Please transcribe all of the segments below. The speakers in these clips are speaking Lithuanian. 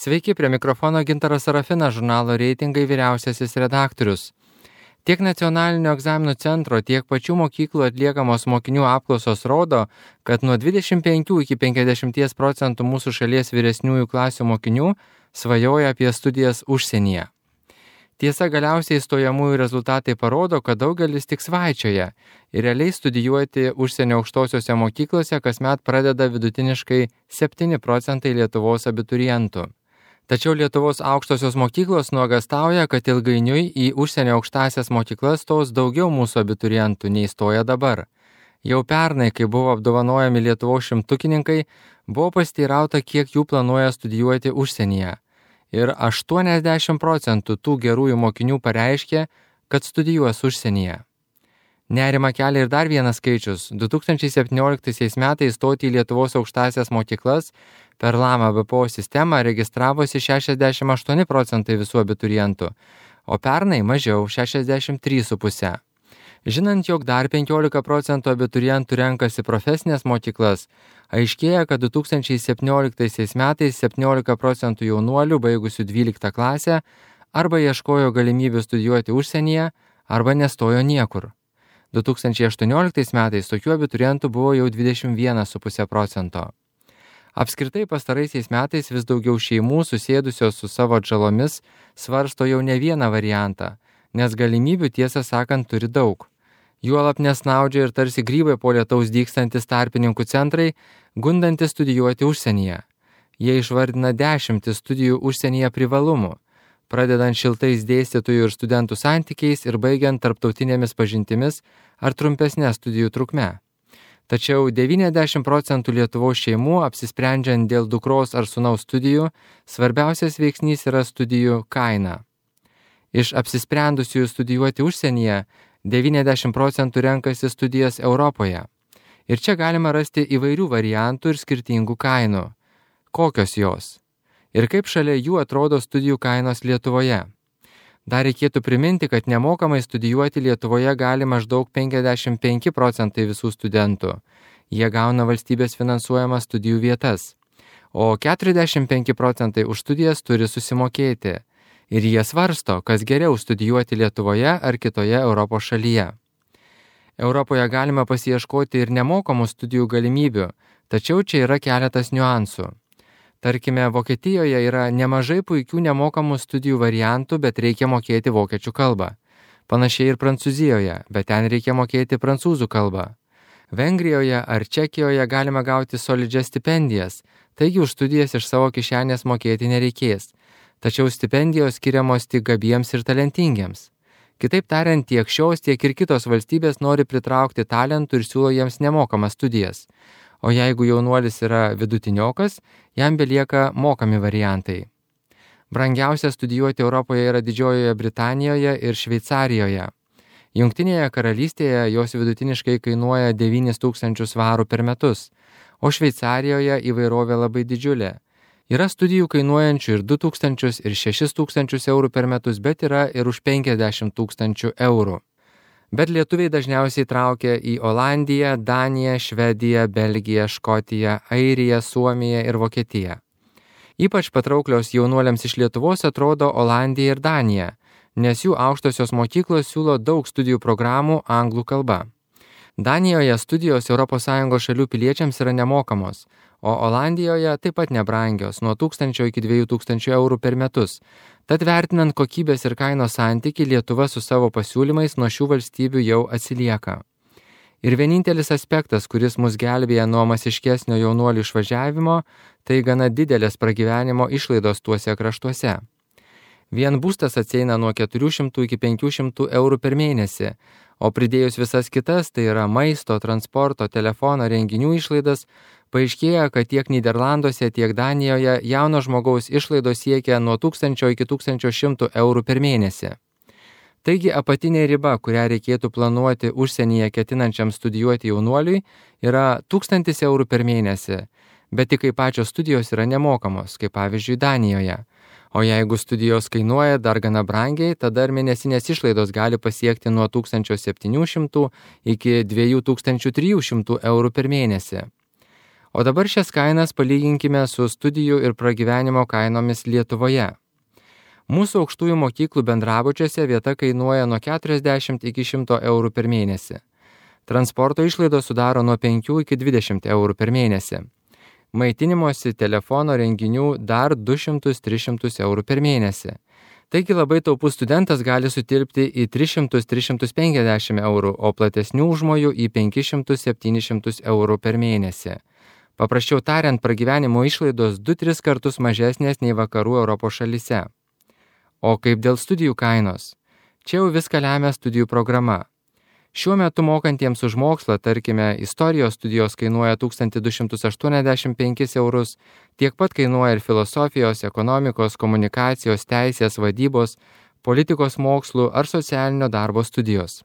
Sveiki, prie mikrofono Gintaras Sarafinas, žurnalo Reitingai vyriausiasis redaktorius. Tiek nacionalinio egzaminų centro, tiek pačių mokyklų atliekamos mokinių apklausos rodo, kad nuo 25 iki 50% mūsų šalies vyresniųjų klasių mokinių svajoja apie studijas užsienyje. Tiesa, galiausiai stojamųjų rezultatai parodo, kad daugelis tik svaičioja ir realiai studijuoti užsienio aukštosiuose mokyklose kasmet pradeda vidutiniškai 7% Lietuvos abiturientų. Tačiau Lietuvos aukštosios mokyklos nuogąstauja, kad ilgainiui į užsienio aukštąsias mokyklas stos daugiau mūsų abiturientų nei stoja dabar. Jau pernai, kai buvo apdovanojami Lietuvos šimtukininkai, buvo pasiteirauta, kiek jų planuoja studijuoti užsienyje. Ir 80% tų gerųjų mokinių pareiškė, kad studijuos užsienyje. Nerima kelia ir dar vienas skaičius. 2017 metais stoti į Lietuvos aukštąsias mokyklas per LAMA BPO sistemą registravosi 68% visų abiturientų, o pernai mažiau 63,5%. Žinant, jog dar 15% abiturientų renkasi profesinės mokyklas, aiškėja, kad 2017 metais 17% jaunuolių baigusių 12 klasę arba ieškojo galimybių studijuoti užsienyje, arba nestojo niekur. 2018 metais tokių abiturientų buvo jau 21,5%. Apskritai pastaraisiais metais vis daugiau šeimų susėdusios su savo atžalomis svarsto jau ne vieną variantą, nes galimybių tiesą sakant turi daug. Juolab nesnaudžia ir tarsi grybai po lietaus dygstantis tarpininkų centrai, gundantis studijuoti užsienyje. Jie išvardina 10 studijų užsienyje privalumų, pradedant šiltais dėstytojų ir studentų santykiais ir baigiant tarptautinėmis pažintimis ar trumpesnė studijų trukme. Tačiau 90% Lietuvos šeimų, apsisprendžiant dėl dukros ar sūnaus studijų, svarbiausias veiksnys yra studijų kaina. Iš apsisprendusiųjų studijuoti užsienyje 90% renkasi studijas Europoje. Ir čia galima rasti įvairių variantų ir skirtingų kainų. Kokios jos? Ir kaip šalia jų atrodo studijų kainos Lietuvoje? Dar reikėtų priminti, kad nemokamai studijuoti Lietuvoje gali maždaug 55% visų studentų. Jie gauna valstybės finansuojamas studijų vietas. O 45% už studijas turi susimokėti. Ir jie svarsto, kas geriau studijuoti Lietuvoje ar kitoje Europos šalyje. Europoje galima pasiieškoti ir nemokamų studijų galimybių, tačiau čia yra keletas niuansų. Tarkime, Vokietijoje yra nemažai puikių nemokamų studijų variantų, bet reikia mokėti vokiečių kalbą. Panašiai ir Prancūzijoje, bet ten reikia mokėti prancūzų kalbą. Vengrijoje ar Čekijoje galima gauti solidžias stipendijas, taigi už studijas iš savo kišenės mokėti nereikės. Tačiau stipendijos skiriamos tik gabiems ir talentingiems. Kitaip tariant, tiek šios, tiek ir kitos valstybės nori pritraukti talentų ir siūlo jiems nemokamas studijas. O jeigu jaunuolis yra vidutiniokas, jam belieka mokami variantai. Brangiausia studijuoti Europoje yra Didžiojoje Britanijoje ir Šveicarijoje. Jungtinėje karalystėje jos vidutiniškai kainuoja 9,000 svarų per metus, o Šveicarijoje įvairovė labai didžiulė. Yra studijų kainuojančių ir 2,000 ir 6,000 eurų per metus, bet yra ir už 50,000 eurų. Bet lietuviai dažniausiai traukia į Olandiją, Daniją, Švediją, Belgiją, Škotiją, Airiją, Suomiją ir Vokietiją. Ypač patrauklios jaunuoliams iš Lietuvos atrodo Olandija ir Danija, nes jų aukštosios mokyklos siūlo daug studijų programų anglų kalba. Danijoje studijos ES šalių piliečiams yra nemokamos, o Olandijoje taip pat nebrangios, nuo 1,000 iki 2,000 eurų per metus. Tad vertinant kokybės ir kainos santykį, Lietuva su savo pasiūlymais nuo šių valstybių jau atsilieka. Ir vienintelis aspektas, kuris mus gelbėja nuo masiškesnio jaunuolių išvažiavimo, tai gana didelės pragyvenimo išlaidos tuose kraštuose. Vien būstas atsieina nuo 400 iki 500 eurų per mėnesį, o pridėjus visas kitas, tai yra maisto, transporto, telefono, renginių išlaidas, paaiškėja, kad tiek Nyderlanduose, tiek Danijoje jauno žmogaus išlaidos siekia nuo 1000 iki 1100 eurų per mėnesį. Taigi apatinė riba, kurią reikėtų planuoti užsienyje ketinančiam studijuoti jaunuoliui, yra 1000 eurų per mėnesį, bet tik kai pačios studijos yra nemokamos, kaip pavyzdžiui Danijoje. O jeigu studijos kainuoja dar gana brangiai, tada ir mėnesinės išlaidos gali pasiekti nuo 1700 iki 2300 eurų per mėnesį. O dabar šias kainas palyginkime su studijų ir pragyvenimo kainomis Lietuvoje. Mūsų aukštųjų mokyklų bendrabučiuose vieta kainuoja nuo 40 iki 100 eurų per mėnesį. Transporto išlaidos sudaro nuo 5 iki 20 eurų per mėnesį. Maitinimosi, telefono, renginių dar 200-300 eurų per mėnesį. Taigi labai taupus studentas gali sutilpti į 300-350 eurų, o platesnių užmojų į 500-700 eurų per mėnesį. Paprasčiau tariant, pragyvenimo išlaidos 2-3 kartus mažesnės nei vakarų Europos šalyse. O kaip dėl studijų kainos? Čia jau viską lemia studijų programa. Šiuo metu mokantiems už mokslą, tarkime, istorijos studijos kainuoja 1285 eurus, tiek pat kainuoja ir filosofijos, ekonomikos, komunikacijos, teisės, vadybos, politikos mokslų ar socialinio darbo studijos.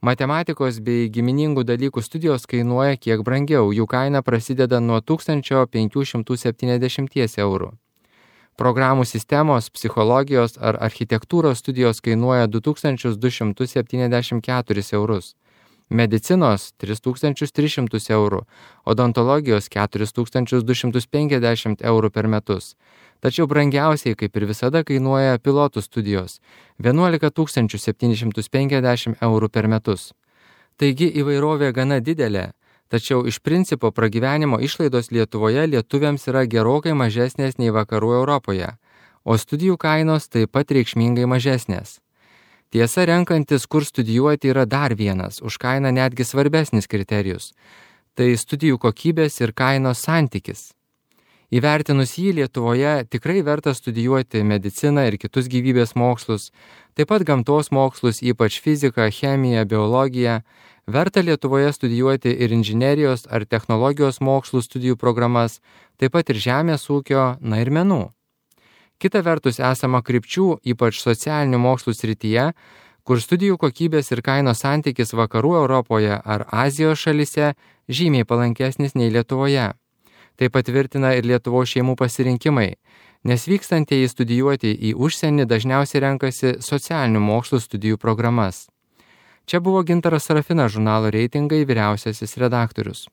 Matematikos bei giminingų dalykų studijos kainuoja kiek brangiau, jų kaina prasideda nuo 1570 eurų. Programų sistemos, psichologijos ar architektūros studijos kainuoja 2274 eurus, medicinos 3300 eurų, odontologijos 4250 eurų per metus. Tačiau brangiausiai, kaip ir visada, kainuoja pilotų studijos 11 750 eurų per metus. Taigi įvairovė gana didelė. Tačiau iš principo pragyvenimo išlaidos Lietuvoje lietuviams yra gerokai mažesnės nei vakarų Europoje, o studijų kainos taip pat reikšmingai mažesnės. Tiesa, renkantis, kur studijuoti, yra dar vienas, už kainą netgi svarbesnis kriterijus. Tai studijų kokybės ir kainos santykis. Įvertinus jį, Lietuvoje tikrai verta studijuoti mediciną ir kitus gyvybės mokslus, taip pat gamtos mokslus, ypač fiziką, chemiją, biologiją. Verta Lietuvoje studijuoti ir inžinerijos ar technologijos mokslų studijų programas, taip pat ir žemės ūkio, ir menų. Kita vertus esama krypčių, ypač socialinių mokslų srityje, kur studijų kokybės ir kainos santykis vakarų Europoje ar Azijos šalyse žymiai palankesnis nei Lietuvoje. Tai patvirtina ir Lietuvos šeimų pasirinkimai, nes vykstantieji studijuoti į užsienį dažniausiai renkasi socialinių mokslų studijų programas. Čia buvo Gintaras Sarafinas, žurnalo Reitingai vyriausiasis redaktorius.